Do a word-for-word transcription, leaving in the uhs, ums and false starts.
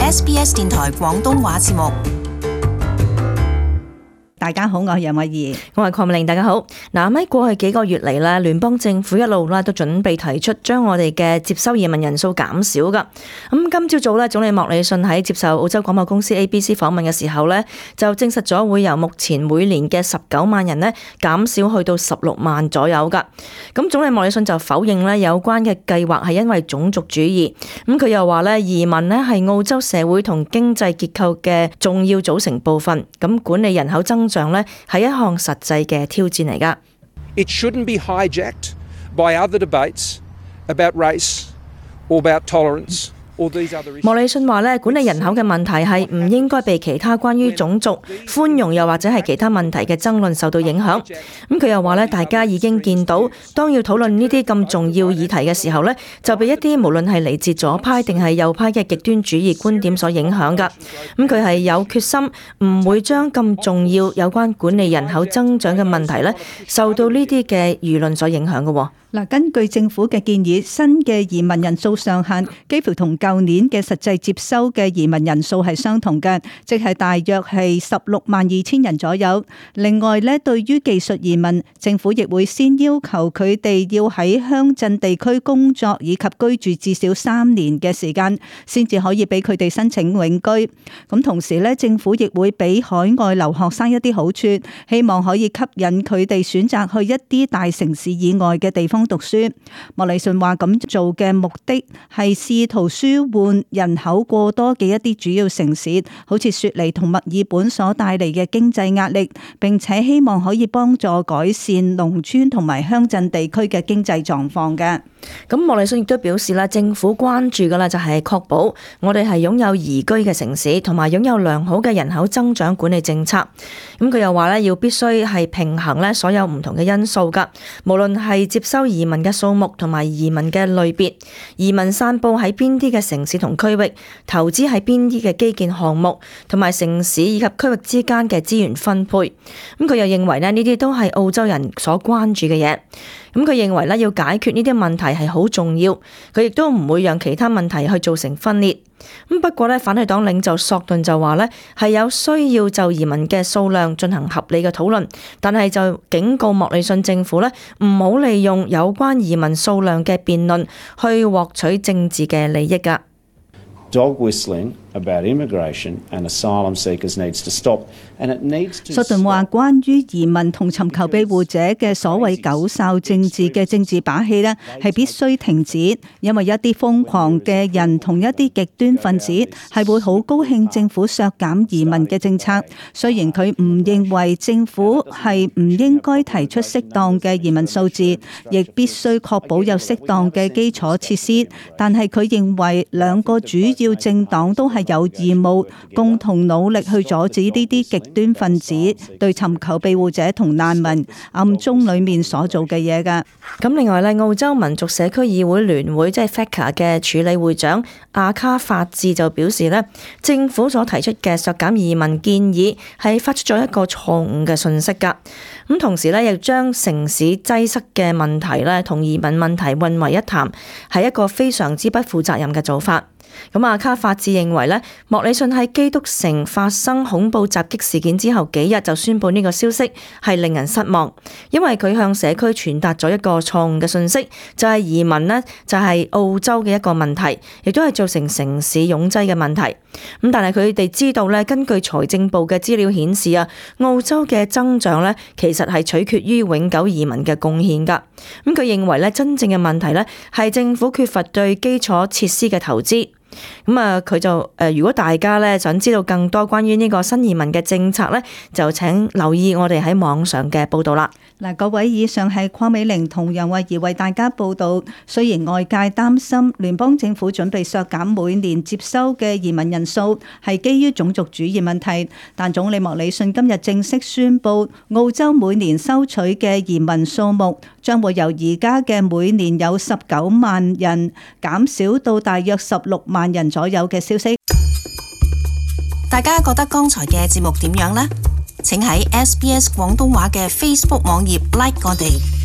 S B S 電台廣東話節目。大家好，我係楊慧儀，我係鄺美玲。大家好。嗱，喺過去幾個月嚟咧，聯邦政府一路咧都準備提出將我哋嘅接收移民人數減少噶。咁今朝早咧，總理莫里遜喺接受澳洲廣播公司 A B C 訪問嘅時候咧，就證實咗會由目前每年嘅十九萬人咧減少去到十六萬左右噶。咁總理莫里遜就否認咧有關嘅計劃係因為種族主義。咁佢又話咧，移民咧係澳洲社會同經濟結構嘅重要組成部分。咁管理人口增長咧係一項實際嘅挑戰嚟㗎。It shouldn't be hijacked by other debates about race or about tolerance. 莫里遜話咧，管理人口嘅問題係唔應該被其他關於種族、寬容又或者係其他問題嘅爭論受到影響。咁佢又話咧，大家已經見到，當要討論呢啲咁重要議題嘅時候咧，就被一啲無論係嚟自左派定係右派嘅極端主義觀點所影響㗎。咁佢係有決心唔會將咁重要有關管理人口增長嘅問題咧，受到呢啲嘅輿論所影響嘅。嗱，根據政府嘅建議，新嘅移民人數上限幾乎同舊年嘅實際接收嘅移民人數係相同嘅，即係大約係十六萬二千人左右。另外咧，對於技術移民，政府亦會先要求佢哋要喺鄉鎮地區工作以及居住至少三年嘅時間，先至可以俾佢哋申請永居。咁同時咧，政府亦會俾海外留學生一啲好處，希望可以吸引佢哋選擇去一啲大城市以外嘅地方讀書。莫里遜話咁做嘅目的係試圖舒緩人口過多嘅一啲主要城市，好似雪梨同墨爾本所帶嚟嘅經濟壓力，並且希望可以幫助改善農村同埋鄉鎮地區嘅經濟狀況嘅。咁莫里遜亦都表示啦，政府關注嘅啦就係確保我哋係擁有宜居嘅城市，同埋擁有良好嘅人口增長管理政策。咁佢又話咧，要必須係平衡咧所有唔同嘅因素噶，無論係接收移民嘅數目同埋移民嘅類別，移民散佈喺邊啲嘅城市同區域，投資喺邊啲嘅基建項目，同埋城市以及區域之間嘅資源分配。咁佢又認為咧，呢啲都係澳洲人所關注嘅嘢。咁佢認為咧，要解決呢啲問題係好重要，佢亦都唔會讓其他問題去造成分裂。咁不過咧，反對黨領袖索頓就話咧，係有需要就移民嘅數量進行合理嘅討論，但係就警告莫里遜政府咧，唔好利用有關移民數量嘅辯論去獲取政治嘅利益㗎。Dog whistling about immigration and asylum seekers needs to stop, and it needs to. 索頓話：關於移民同尋求庇護者嘅所謂狗哨政治嘅政治把戲呢，係必須停止，因為一啲瘋狂嘅人同一啲極端分子係會好高興政府削減移民嘅政策。雖然佢唔認為政府係唔應該提出適當嘅移民數字，亦必須確保有適當嘅基礎設施，但係佢認為兩個主要政黨都係有義務共同努力去阻止呢啲極端分子對尋求庇護者同難民暗中裏面所做嘅嘢㗎。咁另外咧，澳洲民族社區議會聯會即係 F A C A 嘅署理會長阿卡法治就表示咧，政府所提出嘅削減移民建議係發出咗一個錯誤嘅訊息㗎。咁同時咧，亦將城市擠塞嘅問題咧同移民問題混為一談，係一個非常之不負責任嘅做法。咁阿卡法治認為咧，莫里遜喺基督城發生恐怖襲擊事件之後幾日就宣布呢個消息，係令人失望，因為佢向社區傳達咗一個錯誤嘅信息，就係移民呢，就係澳洲嘅一個問題，亦都係造成城市擁擠嘅問題。咁但係佢哋知道咧，根據財政部嘅資料顯示啊，澳洲嘅增長咧其實係取決於永久移民嘅貢獻㗎。咁佢認為咧，真正嘅問題咧係政府缺乏對基礎設施嘅投資。咁啊，佢就誒，如果大家咧想知道更多關於呢個新移民嘅政策咧，就請留意我哋喺網上嘅報道啦。嗱，各位，以上係鄺美玲同楊慧儀為大家報道。雖然外界擔心聯邦政府準備削減每年接收嘅移民人數係基於種族主義問題，但總理莫里遜今日正式宣布，澳洲每年收取嘅移民數目將會由而家嘅每年有十九萬人減少到大約十六萬人左右嘅消息。大家覺得剛才嘅節目點樣呢？請喺 S B S 廣東話嘅 Facebook 網頁 like 我哋。